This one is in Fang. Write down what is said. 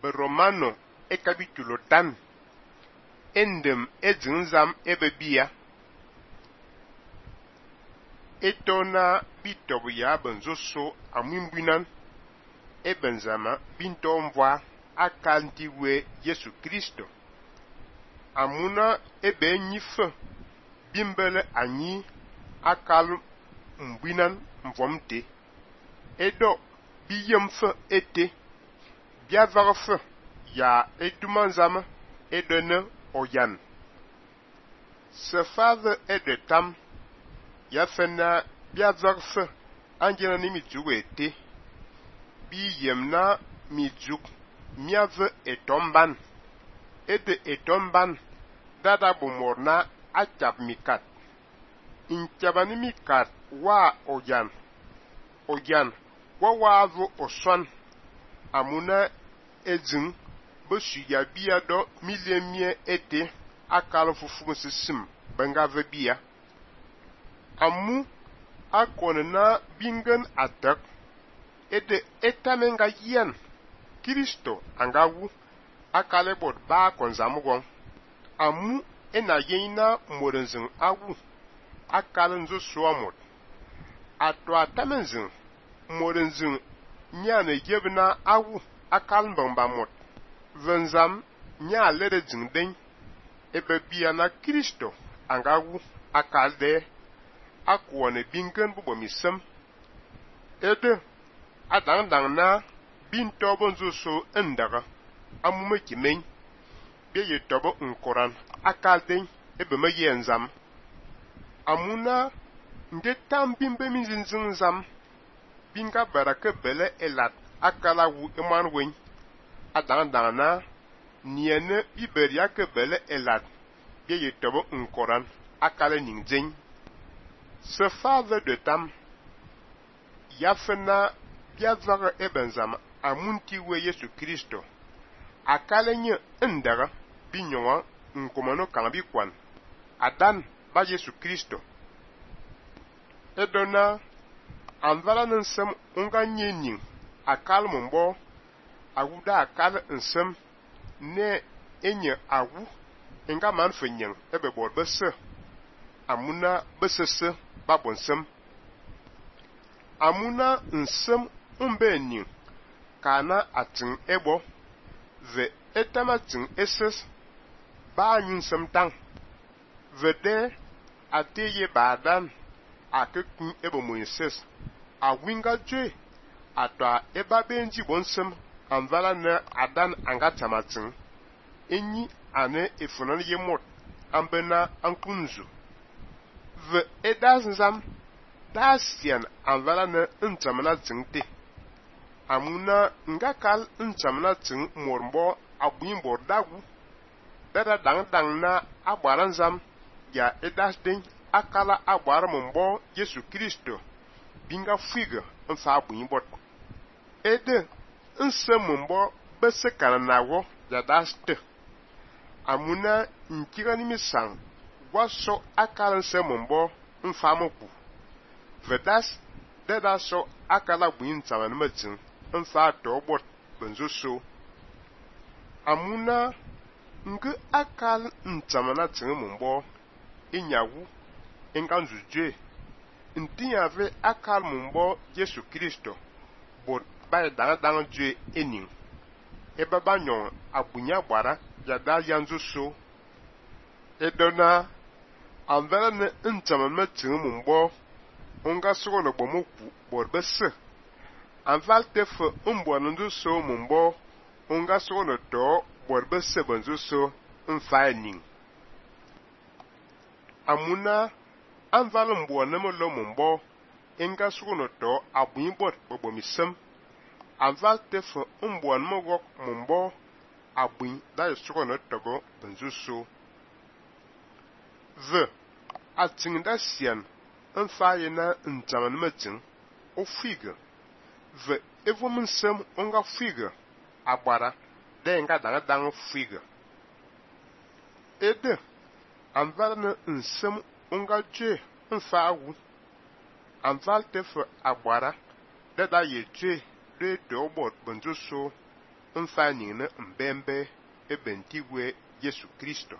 Romano e capítulo tan endem ezinzam ebebia etona bitobu ya benzoso amwimbinan ebenzama bintomvwa akantiwe Yesu Kristo amuna ebe nyife bimbele anyi akal mbinan mvomte edo biyemfe ete biavagfe ya edumanzama edene oyan sefave edetam ya fena biavagfe anjena ni mijugu ete biyemna mijuk miave etomban ede etomban dada bumorna achap mikat inchabani mikat wa oyan wawavu oswan amuna ezin besu ya biya do milemie ete akal fufu sisim bengave biya amu akonena bingen atak ede etamenga yen Kristo angawu akale bot ba konzamugon amu ena yena modenzin awu akal nzo suamot ato atamenzin modenzin nyane yebna awu akal mbambamot venzam nya lede jingden ebe biya na Kristo angawu akal de akwone bingen bubomisem ede adang na bintobo nzo so endaga amume kimen beye tobo nkoran akal den ebe me yenzam amuna nde tam bimbe mizinzam binga baraka bele elat akala wu emanwen adang na niene iberia ke bele elat beye tobo nkoran akale ningzen se father de tam yafena biavaga ebenzam amunti we Yesu Kristo akale nye endaga binyonga nkomano kambi kwan adan ba Yesu Kristo edona anvala nsem unga nyenin akal mumbo awuda akal nsem ne enye awu enga man fenyen ebe bor bese amuna besese babonsem amuna nsem umbenin kana atin ebo ve etamatin eses ba anyunsem tang ve de ateye badan akekun ebo Moises awinga jwe atwa eba benji bonsem anvala na adan angatamatin enyi ane efunan yemot ambena ankunzu ve edazam dasian anvala na ntamana tingte amuna ngakal ntamana ting mormbo abwimbo dagu dada dang na agbaranzam ya edasden akala agbar mumbo Yesu Kristo binga figa nfa abwimbot ede nse mumbo bese kananawo ya daste amuna nkigani misang waso akala nse mumbo nfa moku vedas dada so akala bwin taman matin nfa tobot benzoso amuna nge akal ntamana tin mumbo inyawu enganzuje ntinyave akal mumbo Yesu Kristo bot bay dang jwe enin eba banyon abunya gbara yada yanzuso edona anvela ne ntamana tin mumbo onga soro no bomoku bot bese anval tefe mbonundu so mumbo onga soro no to bot bese benzuso mfaening amuna anval mbona molo mumbo enga soro no to abuinbot bobomisem anval tefe mbona mogok mumbo abuin da soro no togo benzuso ve atinda sian nfaye na ntaman matin o figa ve evum nsem onga figa agbara de nga dang figa ede anval na nsem onga je nfa awu anval tefe agbara de da ye je de dobot benjoso mfa ning ne mbembe ebentigwe Yesu Kristo.